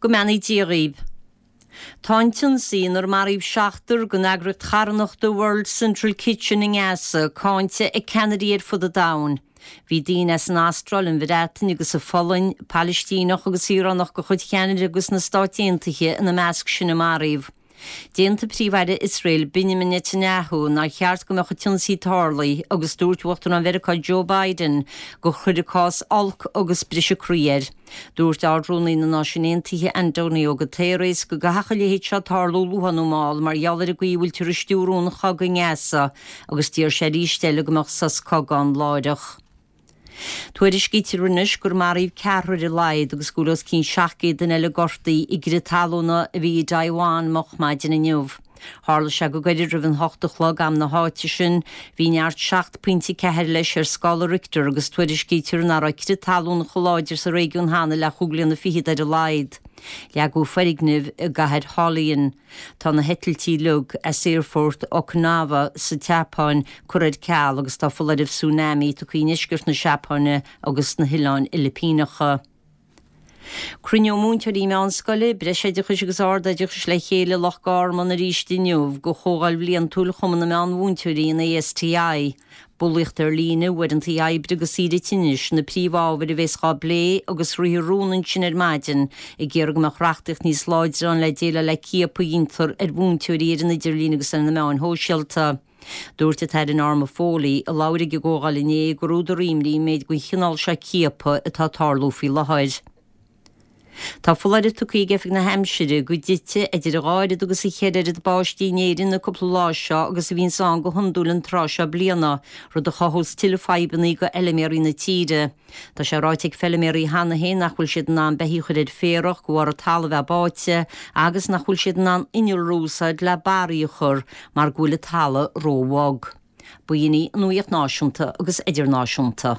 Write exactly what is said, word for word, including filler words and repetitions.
Go mbeannaí Dia dhaoibh. Tá an t-ionsaí inar maraíodh seachtar den eagraíocht charthanachta World Central Kitchen i nGaza cáinte ag ceannairí ar fud an domhain. Bhí daoine as an Astráil, an Bhreatain agus an Pholainn, Palaistíneach agus saoránach de chuid Cheanada agus na Stáit Aontaithe ina measc sin a maraíodh. D'aontaigh Príomh-Aire Iosrael Benjamin Netanyahu nár cheart go mbeadh an t-ionsaí tarlaithe agus dúirt Uachtarán Mheiriceá Joe Biden gur chuir an cás olc agus briseadh croí air. Dúirt Ard-Rúnaí na Náisiún Aontaithe Antonio Guterres go gcaithfeadh a leithéid seo tarlú luath nó mall mar gheall ar an gcaoi a bhfuiltear ag stiúradh an chogaidh i nGaza agus d'iarr sé arís eile go mbeadh sos cogaidh ann láithreach. Tuairiscítear anois gur maraíodh ceathrar ar a laghad agus go bhfuil os cionn seacht gcéad duine eile gortaithe i gcrith talúna a bhí i dTaiwan moch maidin inniu. Tharla sé go gairid roimh an hocht a chlog am na háite sin. Bhí neart seacht pointe ceathair leis ar scála Richter agus tuairiscítear nach raibh crith talún chomh láidir sa réigiún cheana le chúig bliana fichead ar a laghad. Leagadh foirgnimh i gcathair Hualien. Tá na heitiltí uilig as aerfort Okinawa sa tSeapáin curtha ar ceal agus tá foláireamh tsunami tugtha i ndeisceart na Seapáine agus sna hOileáin Fhilipíneacha. Cruinneoidh múinteoirí meánscoile, breisoideachais agus ardoideachais le chéile i Loch Garman arís inniu do chomhdháil bhliantúil Chumann na Meánmhúinteoirí an ASTI. Bulaíocht ar líne, uaireanta oibre agus saoire tinnis na príomhábhair a bheas á bplé agus rithfear rún ansin ar maidin ag iarraidh go mbeadh reachtaíocht níos láidre ann le déileáil le ciapadh a dhéantar ar mhúinteoirí ar an idirlíon agus ar na meáin shóisialta. Dúirt an tAire Norma Foley, a labhair ag an gcomhdháil inné, gur údar imní an méid den chineál seo ciapadh atá ag tarlú faoi láthair. Tá foláireamh tugtha ag Oifig na hAimsire go dtitfidh idir dhá oiread agus a cheithre oiread báistí in Éirinn na cúpla lá seo agus a bhíonns ann go hiondúil an tráth seo bliana, rud a chothós tuilleadh fadhbanna do fheilméaraí na tíre. Tá sé ráite ag feilméaraí cheana féin nach bhfuil siad in ann beithígh a chur ar féarach de bharr an talamh a bheith báite agus nach bhfuil siad in ann innealra a úsáid le barraí a chur mar go bhfuil an talamh róbhog. B'in í an nuacht náisiúnta agus idirnáisiúnta.